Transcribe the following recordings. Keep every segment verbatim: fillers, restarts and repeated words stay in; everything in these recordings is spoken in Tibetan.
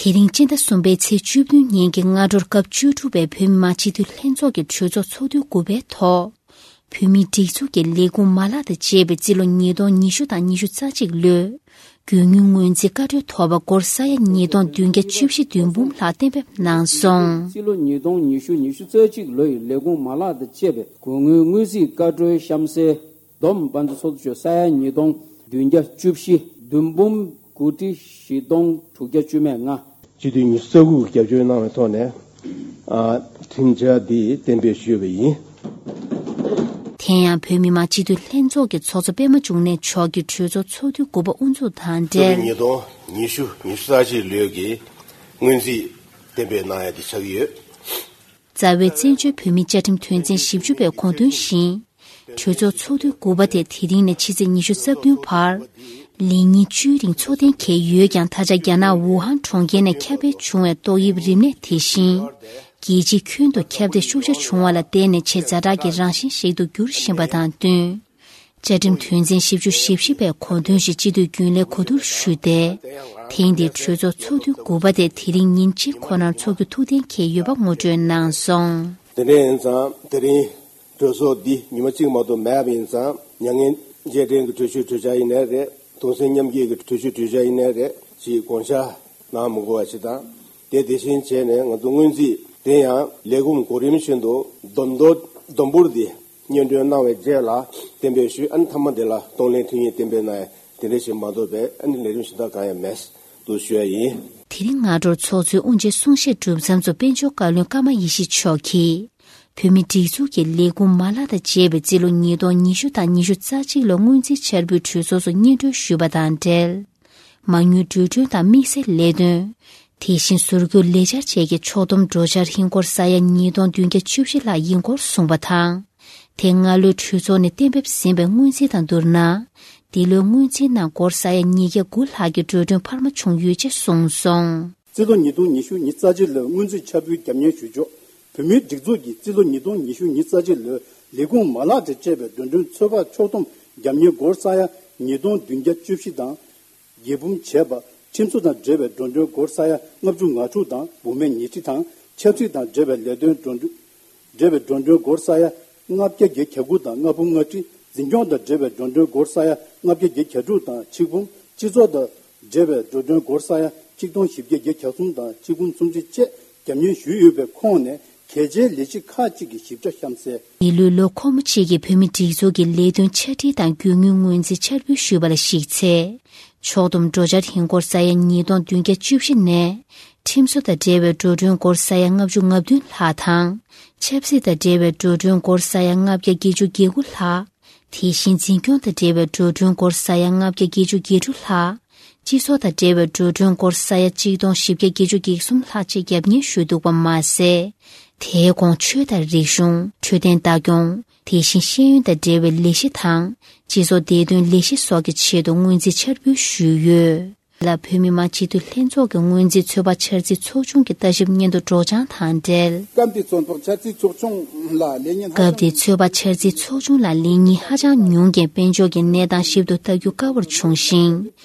དེ་རིང་སྤྱི་ཟླ་གསུམ་པའི་ཚེས་བཅུ་བདུན་ཉིན་གྱི་སྔ་དྲོར་སྐབས་བཅུ་དྲུག་པའི་བོད་མི་མང་སྤྱི་འཐུས་ལྷན་ཚོགས་ཀྱི་གྲོས་ཚོགས་ཚོགས་དུས་དགུ་པའི་ཐོག་བོད་མིའི་སྒྲིག་འཛུགས་ཀྱི་ལས་ཁུངས་མ་ལག་དང་བཅས་པའི་རྩིས་ལོ་ཉིས་སྟོང་ཉི་ཤུ་དང་ཉི་ཤུ་རྩ་གཅིག་ལོའི་དགོས་དངུལ་སྔོན་རྩིས་བཀའ་འཁྲོལ་ཐོབ་པ་སྒོར་ས་ཡ་ཉིས་སྟོང་བདུན་བརྒྱ་བཅུ་བཞི་བདུན་འབུམ་ལྷག་གཏན་འབེབས་གནང་སོང་། རྩིས་ལོ་ཉིས་སྟོང་ཉི་ཤུ་ཉི་ཤུ་རྩ་གཅིག་ལོ་ཡི་ལས་ཁུངས་མ་ལག་དང་བཅས་པའི་དགོས་དངུལ་སྔོན་རྩིས་བཀའ་འཁྲོལ་གཤམ་གསལ། བསྡོམས་དཔལ་འབྱོར་ཚོགས་འདུ་ཆོས་ས་ཡ་ཉིས་སྟོང་བདུན་བརྒྱ་བཅུ་བཞི་བདུན་འབུམ་དགུ་ཁྲི་བཞི་སྟོང་དྲུག་བརྒྱ་བཅུ་མེད་ལྔ། སྤྱི་འཐུས་ཉི་ཤུ་རྩ་དགུ་གིས་རྒྱབ་སྐྱོར་གནང་བའི་ཐོག་ནས། ཨ། ཁྲིམས་འཆར་འདི་གཏན་འབེབས་ཞུས་པ་ཡིན། དེ་ཡང་བོད་མི་མང་སྤྱི་འཐུས་ལྷན་ཚོགས་ཀྱི་ཚོགས་གཙོ་པད་མ་འབྱུང་གནས་མཆོག་གིས་གྲོས་ཚོགས་ཚོགས་དུས་དགུ་པ་དབུ་འཛུགས་དང་འབྲེལ། ཉིས་སྟོང་ཉི་ཤུ་ཉི་ཤུ་རྩ་གཅིག་ལོའི་གི་སྔོན་རྩིས་གཏན་འབེབས་གནང་ཡ་དེ་ཆགས་ཀྱི་ཡོད། རྩ་བའི་བཙན་བྱོལ་བོད་མིའི་བཅའ་ཁྲིམས་དོན་ཚན་བཞི་བཅུ་པའི་དགོངས་དོན་བཞིན། གྲོས་ཚོགས་ཚོགས་དུས་དགུ་པ་དེ་དེ་རིང་ནས་ཕྱི་ཚེས་ཉི་ཤུ་རྩ་བདུན་བར། ལས་ཉིན་བཅུའི་རིང་འཚོགས་གཏན་འཁེལ་ཡོད་ཀྱང་། ད་ཆ་རྒྱ་ནག་ཝུ་ཧན་གྲོང་ཁྱེར་ནས་ཁྱབ་སྤེལ་བྱུང་བའི་ཏོག་དབྱིབས་རིམས་ནད་དེ་བཞིན། རྒྱལ་སྤྱིའི་ཁྱོན་དུ་ཁྱབ་གདལ་ཤུགས་ཆེ་བྱུང་བ་ལ་བརྟེན་ནས་ཆེས་ཛ་དྲག་གི་རང་བཞིན་ཞིག་ཏུ་འགྱུར་བཞིན་པ་དང་བསྟུན། བཅའ་ཁྲིམས་དོན་ཚན་བཞི་བཅུ་ཞེ་བཞི་པའི་དགོངས་དོན་བཞིན་སྤྱི་འཐུས་རྒྱུན་ལས་གོ་བསྡུར་ཞུས་ཏེ། ཐེངས་འདིའི་གྲོས་ཚོགས་ཚོགས་དུས་དགུ་པ་དེ་དེ་རིང་ཉིན་གཅིག་ཁོ་ནར་འཚོགས་རྒྱུ་ཐུགས་གཏན་འཁེལ་ཡོད་པ་ངོ་སྤྲོད་གནང་སོང་། དེ་འདྲ་ཡིན་ཙང་དེ་རིང་གྲོས་ཚོགས་འདི་ཉི་མ་གཅིག་མ་གཏོགས་མེད་པ་ཡིན་ཙང་། མྱ་ངན་རྗེས་དྲན་གྱི་གྲོས་ཆོད་གྲོས་འཆར་ཡིན་ནའི་རེད། གདུང་སེམས་མཉམ་སྐྱེད་ཀྱི་གྲོས་ཆོད་གྲོས་འཆར་ཡིན་ནའི་རེད། ཅིག་དགོངས་འཆར་གནང་མི་དགོས་པ་ཞིག་དང་། དེ་དེ་བཞིན་བྱས་ནས་ང་ཚོ་སྔོན་རྩིས་དེ་ཡང་ལས་ཁུངས་གོ་རིམ་བཞིན་དུ་བསྡོམས་ཐོ་བསྡོམས་འབོར་འདི་སྙན་སྒྲོན་གནང་བའི་རྗེས་ལ་གཏན་འབེབས་ཞུས། ཨ་ནི་མཐའ་མ་དེ་ལ་གཏོང་ལེན་ཐུན་ཡིན་གཏན་འབེབས་གནང་ཡ་དེ་འདྲ་ཞིག་མ་གཏོགས་པའི་ཨ་ནི་ལས་རིམ་གཞན་དག་གང་ཡང་མེད་འདུག་ཞུ་ཡ་ཡིན། དེ་རིང་སྔ་དྲོར་ཚོགས་གཙོའི་དབུ་འབྱེད་གསུང་བཤད་གྲུབ་མཚམས་སུ་དཔལ་འབྱོར་བཀའ་བློན་ཀརྨ་ཡེ་ཤེས་མཆོག་གིས། བོད་མིའི་སྒྲིག་འཛུགས་ཀྱི་ལས་ཁུངས་མ་ལག་དང་བཅས་པའི་རྩིས་ལོ་ཉིས་སྟོང་ཉི་ཤུ་དང་ཉི་ཤུ་རྩ་གཅིག་ལོ་སྔོན་རྩིས་འཆར་འབུལ་གྲོས་ཚོགས་སུ་སྙན་སྒྲོན་ཞུས་པ་དང་འབྲེལ། མ་དངུལ་འགྲོ་གྲོན་དང་དམིགས་བསལ་ལས་དོན། དེ་བཞིན་ཟུར་བཀོལ་ལས་འཆར་བཅས་ཀྱི་ཕྱོགས་བསྡོམས་འགྲོ་འཆར་ཧིན་སྒོར་ས་ཡ་ཉིས་སྟོང་བདུན་བརྒྱ་བཅུ་བཞི་ལྷག་ཡིན་སྐོར་གསུངས་པ་དང་། དེ་སྔ་ལོའི་གྲོས་ཚོགས་ནས་གཏན་འབེབས་ཟིན་པའི་སྔོན་རྩིས་དང་བསྡུར་ན། འདི་ལོའི་སྔོན་རྩིས་ནང་སྒོར་ས་ཡ་ཉིས་བརྒྱ་དགུ་ལྷག་གི་འགྲོ་གྲོན་འཕར་མ་བྱུང་ཡོད་ཅེས་གསུངས་སོང་། རྩིས་ལོ་ཉིས་སྟོང་ཉི་ཤུ་ཉི་ཤུ་རྩ་གཅིག་ལོའི་སྔོན་རྩིས་འཆར་འབུལ་རྒྱབ་གཉེར་ཞུ་ཕྱོགས། བོད་མིའི་སྒྲིག་འཛུགས་ཀྱི་རྩིས་ལོ་ཉིས་སྟོང་ཉི་ཤུ་ཉི་ཤུ་རྩ་གཅིག་ལོའི་ལས་ཁུངས་མ་ལག་དང་བཅས་པའི་འགྲོ་གྲོན་ཚོད་དཔག་ཕྱོགས་བསྡོམས་རྒྱབ་གཉེར་སྒོར་ས་ཡ་ཉིས་སྟོང་བདུན་བརྒྱ་བཅུ་བཞི་དང་། རྒྱས་འབུམ་བྱས་པ། ཁྲིམས་སྲོལ་དང་འབྲེལ་བའི་འགྲོ་གྲོན་སྒོར་ས་ཡ་ལྔ་བཅུ་ང་དྲུག་དང་འབུམ་མེད་ཉི་ཁྲི་དང་། ཆབ་སྲིད་དང་འབྲེལ་བའི་ལས་དོན་འགྲོ་གྲོན། འབྲེལ་བའི་འགྲོ་གྲོན་སྒོར་ས་ཡ་ལྔ་བརྒྱ་བརྒྱད་བརྒྱ་དགུ་དང་ལྔ་བུམ་ལྔ་ཁྲི། འཛིན་སྐྱོང་དང་འབྲེལ་བའི་འགྲོ་གྲོན་སྒོར་ས་ཡ་ལྔ་བརྒྱ་བརྒྱད་བརྒྱ་དྲུག་དང་ཆིག་བུམ། སྤྱི་ཚོགས་དང་འབྲེལ་བའི་འགྲོ་གྲོན་སྒོར་ས་ཡ་ཆིག་སྟོང་བཞི་བརྒྱ་བརྒྱད་བརྒྱ་གསུམ་དང་ཆིག་བུམ་སུམ་ཅུ་བཅས་རྒྱབ་གཉེར་ཞུས་ཡོད་པའི་ཁོངས་ནས་གལ་ཆེའི་ལས་གཞི་ཁག་ཅིག་གི་ཞིབ་ཕྲ་གཤམ་གསལ། འདི་ལོའི་ལོ་འཁོར་མོ་གཅིག་གི་བོད་མིའི་སྒྲིག་འཛུགས་ཀྱི་ལས་དོན་ཆ་འཕྲིན་དང་རྒྱུ་དངུལ་སྔོན་རྩིས་འཆར་འབུལ་ཞུས་པ་ལ་གཞིགས་ཚེ། ཕྱོགས་བསྡོམས་འགྲོ་འཆར་ཧིན་སྒོར་ས་ཡ་ཉིས་སྟོང་བདུན་བརྒྱ་བཅུ་བཞི་ནས། ཁྲིམས་སྲོལ་དང་འབྲེལ་བའི་འགྲོ་གྲོན་སྒོར་ས་ཡ་ལྔ་བཅུ་ང་བདུན་ལྷག་དང་། ཆབ་སྲིད་དང་འབྲེལ་བའི་འགྲོ་གྲོན་སྒོར་ས་ཡ་ལྔ་བརྒྱ་བརྒྱད་ཅུ་གྱ་དགུ་ལྷག་དེ་བཞིན་འཛིན་སྐྱོང་དང་འབྲེལ་བའི་འགྲོ་གྲོན་སྒོར་ས་ཡ་ལྔ་བརྒྱ་བརྒྱད་ཅུ་གྱ་དྲུག་ལྷག་སྤྱི་ཚོགས་དང་འབྲེལ་བའི་འགྲོ་གྲོན་སྒོར་ས་ཡ་གཅིག་སྟོང་བཞི་བརྒྱ་བརྒྱད་ཅུ་གྱ་གསུམ་ལྷག་བཅས་རྒྱབ་གཉེར་ཞུས་འདུག་པ་མ་ཟད། དེའི་གོང་ཆོས་དང་རིག་གཞུང་། འཕྲོད་བསྟེན་ལྟ་སྐྱོང་། དེ་བཞིན་ཤེས་ཡོན་དང་འབྲེལ་བའི་ལས་གཞི་དང་། སྤྱི་ཚོགས་བདེ་དོན་ལས་གཞི་སོགས་ཀྱི་ཆེད་དུ་སྔོན་རྩིས་འཆར་འབུལ་ཞུས་ཡོད། ལ་བོད་མི་མང་སྤྱི་འཐུས་ལྷན་ཚོགས་ཀྱི་སྔོན་རྩིས་ཚོད་དཔག་འཆར་རྩིས་ཚོགས་ཆུང་གི་ལྟ་ཞིབ་སྙན་ཐོ་སྒྲོག་སྦྱང་དང་འབྲེལ། སྐབས་དེའི་ཚོད་དཔག་འཆར་རྩིས་ཚོགས་ཆུང་ལ་ལས་ཉིན་ཧ་སྐབས་ཅང་དེའི་ཚོད་དཔག་འཆར་རྩིས་ཚོགས་ཆུང་ལ་ལས་ཉིན་ཧ་ཅང་ཉུང་རྐྱེན་དཔལ་འབྱོར་གྱི་གནས་སྟངས་ཞིབ་ཏུ་ལྟ་རྒྱུ་དཀའ་བར་བྱུང་ཞིང་།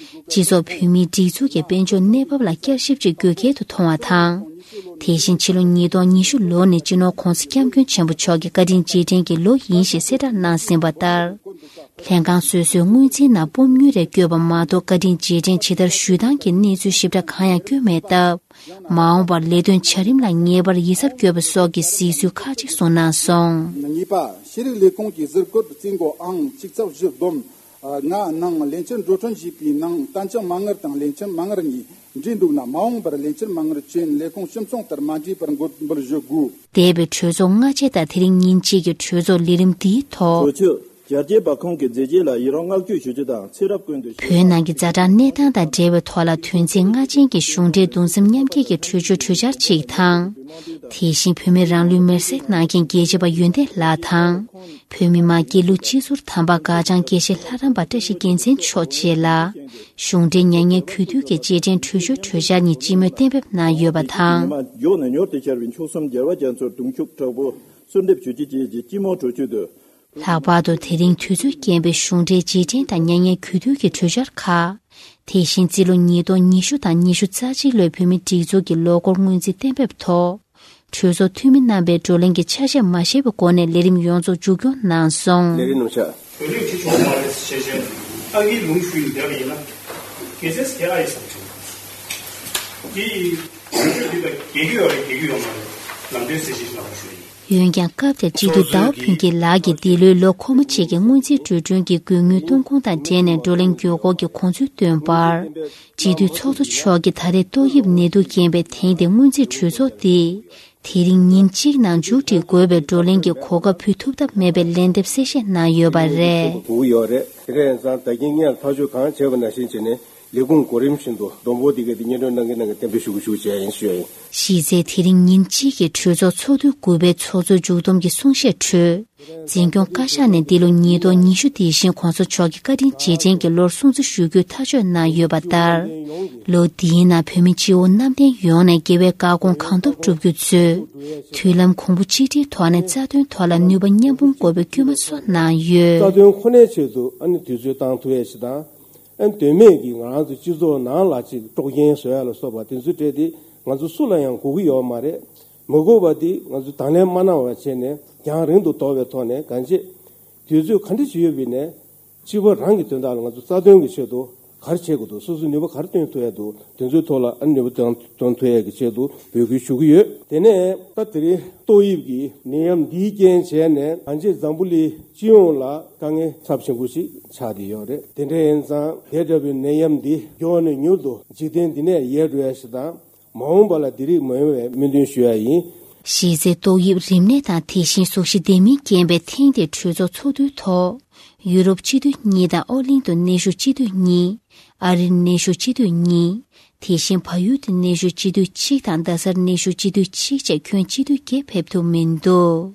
སྤྱི་ཚོགས་བོད་མིའི་སྒྲིག་འཛུགས་ཀྱི་དཔལ་འབྱོར་གནས་བབ་ལ་བསྐྱར་ཞིབ་ཅིག་དགོས་གལ་དུ་མཐོང་བ་དང་། དེ་བཞིན་ཕྱི་ལོ་ཉིས་སྟོང་ཉི་ཤུ་ལོ་ནས་སྤྱི་ནོར་༧གོང་ས་༧སྐྱབས་མགོན་ཆེན་པོ་མཆོག་གི་བཀའ་དྲིན་རྗེས་དྲན་གྱི་ལོ་ཡིན་ཞེས་གསལ་བསྒྲགས་གནང་ཟིན་པ་ལྟར། ལྷན་ཁང་སོ་སོའི་སྔོན་རྩིས་ནང་སྤོམ་ཉུལ་རེ་བཀོད་པ་མ་གཏོགས་བཀའ་དྲིན་རྗེས་དྲན་ཇི་ལྟར་ཞུ་སྟངས་ཀྱི་གནས་ཚུལ་ཞིབ་ཕྲ་གང་ཡང་བཀོད་མེད་སྟབས། མ་འོངས་པར་ལས་དོན་བྱ་རིམ་ལ་ངེས་པར་ཡིད་གཟབ་དགོས་པ་སོགས་ཀྱི་གཟིགས་ཚུལ་ཁག་ཅིག་གསུངས་གནང་སོང་། གཉིས་པ། ཤེས་རིག་ལས་ཁུངས་ཀྱི་ཟུར་བཀོད་རྩིས་འགོ་ཨང་གཅིག་ཚེག་བཞི་བསྡོམས་ལྔ་ནང་ལས་འཆར་འགྲོ་གྲོན་ཞེས་པའི་ནང་གཏན་འཇགས་མ་དངུལ་དང་ལས་འཆར་མ་དངུལ་གཉིས་འདྲེས་འདུག་ན། མ་འོངས་པར་ལས་འཆར་མ་དངུལ་ཅན་ལས་ཁུངས་སྤྱི་མཚུངས་ལྟར་མ་འདྲེས་པར་འགོད་འབུལ་ཞུ་དགོས། འདས་པའི་གྲོས་ཚོགས་སྔ་རྗེས་དང་དེ་རིང་ཉིན་གཅིག་གི་གྲོས་ཚོགས་ལས་རིམ་འདིའི་ཐོག་གྲོས་ཆོད། རྒྱ་སྐྱེད་པ་ཁོང་གི་མཛད་རྗེས་ལ་ཡི་རང་བསྔགས་བརྗོད་ཞུ་རྒྱུ་དང་ཚེ་རབས་ཀུན་ཏུ་བོད་ནང་གི་ཛ་དྲག་གནས་སྟངས་དང་འབྲེལ་བའི་ཐོག་ལ་དོན་ཚན་ལྔ་ཅན་གྱི་གཞུང་འབྲེལ་གདུང་སེམས་མཉམ་སྐྱེད་ཀྱི་གྲོས་ཆོད་གྲོས་འཆར་གཅིག་དང་། དེ་བཞིན་བོད་མིའི་རང་ལུས་མེར་སྲེག་གནང་མཁན་རྒྱལ་གཅེས་པ་ཡོན་ཏན་ལགས་དང་། བོད་མི་མང་སྐྱིད་གླུ་སྤྱི་ཟུར་དམ་པ་སྒར་བྱང་དགེ་བཤེས་ལྷ་རམས་པ་བཀྲ་ཤིས་རྒྱལ་མཚན་མཆོག་བཅས་ལ། གཞུང་འབྲེལ་མྱ་ངན་གུས་འདུད་ཀྱི་རྗེས་དྲན་གྲོས་ཆོད་གྲོས་འཆར་གཉིས་སྤྱི་མོས་གཏན་འབེབས་གནང་ཡོད་པ་དང་། ཉི་མ་མགྱོགས་ནས་མྱུར་དུ་ཤར་བའི་མཆོག་གསུམ་རྒྱལ་བ་རྒྱ་མཚོར་གདུང་ཤུགས་དྲག་པོ་གསོལ་འདེབས་ཞུ་རྒྱུ་བཅས་ཀྱི་སྤྱི་མོས་གྲོས་ཆོད་དུ། ལྷག་པར་དུ་དེ་རིང་དུས་ཚོད་རྐྱེན་པས་གཞུང་འབྲེལ་རྗེས་དྲན་དང་མྱ་ངན་གུས་འདུད་ཀྱི་གྲོས་འཆར་ཁག་དེ་བཞིན་རྩིས་ལོ་ཉིས་སྟོང་ཉི་ཤུ་དང་ཉི་ཤུ་རྩ་གཅིག་ལོའི་བོད་མིའི་སྒྲིག་འཛུགས་ཀྱི་ལོ་འཁོར་སྔོན་རྩིས་གཏན་འབེབས་ཐོག་གྲོས་ཚོགས་འཐུས་མི་རྣམ་པས་བགྲོ་གླེང་གི་ཆ་ཤས་མ་བཞེས་པའི་སྒོ་ནས་ལས་རིམ་ཡོངས་རྫོགས་མཇུག་སྐྱོང་གནང་སོང་། ལས་རིམ་ནང་བཞག་གོ་ལེགས་ཁྲི་ཆུང་མ་རེད་ཟེར་བྱས་ཨ་ངའི་ལུང་ཞུས་ཡིན་འདྲ་བ་ཡིན་ན། དགེ་རྩེ་ཟེར་ཨ་ཡི་ཟེར་བྱུང་། དེ་ཡི་གྲོས་ཆོད་འདི་དང་རྒྱལ་རྒྱུ་ཡོད་རེད་རྒྱལ་རྒྱུ་ཡོད་མ་རེད་ལམ་སྟོན་ཟེར་བྱས་ལབ་པ་ཞུ་ཡིན། འོན་ཀྱང་སྐབས་དེར་སྤྱི་འཐུས་ཟླ་བ་ཕུན་སྐྱིད་ལགས་ཀྱིས་འདི་ལོའི་ལོ་འཁོར་མ་གཅིག་གི་སྔོན་རྩིས་འགྲོ་གྲོན་གྱི་དགོས་དངུལ་གཏོང་ཁུངས་དང་འབྲེལ་ནས་བགྲོ་གླེང་བརྗོད་སྐོར་གྱི་དགོངས་ཚུལ་བཏོན་པར། སྤྱི་འཐུས་ཚོགས་གཙོ་མཆོག་གིས་ད་རེས་ཏོག་དབྱིབས་ནད་དུག་རྐྱེན་པས་དེང་འདིར་སྔོན་རྩིས་གྲོས་ཚོགས་འདི་དེ་རིང་ཉིན་གཅིག་ནང་མཇུག་སྒྲིལ་དགོས་པའི་བགྲོ་གླེང་གི་གོ་སྐབས་ཕུལ་ཐུབ་ཐབས་མེད་པའི་ལན་འདེབས་གསལ་བཤད་གནང་ཡོད་པ་རེད། དགོས་ཀྱི་ཡོད་རེད། དེ་འདྲ་ཡིན་ཙང་ད་གིན་སྔོན་ལ་ཐག་གཅོད་གང་བྱས་པ་ནང་བཞིན་བྱས་ནས་ལས་ཁུངས་གོ་རིམ་བཞིན་དུ་བསྡོམས་འབོར་འདི་གའི་དེ་སྙན་སྒྲོན་གནང་གི་གནང་གི་གཏན་འབེབས་ཞུ་གི་ཞུ་བྱས་ཡིན་ཞུ་ཡ་ཡིན། གཞི་རྩའི་དེ་རིང་ཉིན་གཅིག་གི་གྲོས་ཚོགས་ཚོགས་དུས་དགུ་པའི་ཚོགས་གཙོའི་མཇུག་བསྡོམས་ཀྱི་གསུང་བཤད་ཁྲོད། འཛིན་སྐྱོང་བཀའ་ཤག་ནས་འདི་ལོ་ཉིས་སྟོང་ཉི་ཤུ་དེ་བཞིན་གོང་ས་མཆོག་གི་བཀའ་དྲིན་རྗེས་དྲན་གྱི་ལོར་སྲུང་བརྩི་ཞུ་རྒྱུའི་ཐག་གཅོད་གནང་ཡོད་པ་ལྟར། ལོ་འདིའི་ནང་བོད་མི་སྤྱི་བོ་གནམ་བསྟན་ཡོངས་ནས་དགེ་བའི་བཀའ་དགོངས་གང་ཐོབ་བསྒྲུབ་རྒྱུ་གཙོས། མཐུན་ལམ་གོང་བུ་གཅིག་སྒྲིལ་ཐོག་ནས་རྩ་དོན་ཐོག་ལ་ནུས་པ་མཉམ་སྤུངས་དགོས་པའི་སྐུལ་མ་སོགས་གནང་ཡོད། རྩ་དོན་ཁོ་ནའི་ཆེད་དུ་ཨ་ནི་དུས་ཚོད་བཏང་ཐུབ་ཡས་ཤིག་དང་། ཨ་ནི་དོན་མེད་ཀྱི་ང་རང་ཚོ་སྤྱི་ཚོགས་ནང་ལ་ཅིག་དཀྲོག་རྐྱེན་བཟོ་ཡ་ལ་སོགས་པ་དེ་ཚོའི་གྲས་དེ་ང་ཚོ་སུ་ལ་ཡང་དགོས་ཀྱི་ཡོད་མ་རེད། མི་དགོས་པ་དེ་ང་ཚོས་དང་ལེན་མ་གནང་བ་བྱས་ནས་རྒྱང་རིང་དུ་དོར་བའི་ཐོག་ནས་གང་ཅི། དུས་ཚོད་ག་འདྲ་ཞིག་ཡོད་པ་ཡིན་ནའི་སྤྱི་པ་རང་གི་དོན་དག་ལ་ང་ཚོ་རྩ་དོན་གྱི་ཆེད་དུ་ག་རེ་བྱེད་དགོས་འདུག་སོ་སོའི་ནུས་པ་ག་རེ་བཏོན་ཐུབ་ཡ་འདུག་དེ་ཚོའི་ཐོག་ལ་ཨ་ནུས་པ་བཏོན་བཏོན་ཐུབ་ཡ་གི་ཆེད་དུ་འབོད་སྐུལ་ཞུ་གི་ཡོད། དེ་ནས་ད་དེ་རིང་ཏོག་དབྱིབས་ཀྱི་ནད་ཡམས་འདིའི་རྐྱེན་བྱས་ནས་ང་ཚོའི་འཛམ་བུ་གླིང་སྤྱི་ཡོངས་ལ་དཀའ་ངལ་ཚབས་ཆེན་པོ་ཞིག་ཆགས་བསྡད་ཡོད་རེད། དེ་འདྲ་ཡིན་ཙང་དེ་འདྲ་བའི་ནད་ཡམས་འདི་མགྱོགས་ནས་མྱུར་དུ་འཇིག་རྟེན་འདི་ནས་ཡལ་འགྲོ་ཡ་ཞིག་དང་། མ་འོངས་པ་ལ་འདི་རིགས་མ་ཡོང་བའི་སྨོན་འདུན་ཞུ་ཡ་ཡིན། གཞི་རྩའི་ཏོག་དབྱིབས་རིམས་ནད་དང་དེ་བཞིན་གཟུགས་གཞི་ལྡན་མིན་རྐྱེན་པས་ཐེངས་འདིའི་གྲོས་ཚོགས་ཚོགས་དུས་ཐོག་ཡུ་རོབ་སྤྱི་འཐུས་གཉིས་དང་ཨོ་གླིང་དུ་གནས་བཞུགས་སྤྱི་འཐུས་གཉིས། ཨ་རིར་གནས་བཞུགས་སྤྱི་འཐུས་གཉིས། དེ་བཞིན་བལ་ཡུལ་དུ་གནས་བཞུགས་སྤྱི་འཐུས་གཅིག་དང་རྡ་སར་གནས་བཞུགས་སྤྱི་འཐུས་གཅིག་བཅས་ཁྱོན་སྤྱི་འཐུས་བརྒྱད་ཕེབས་ཐུབ་མི་འདུག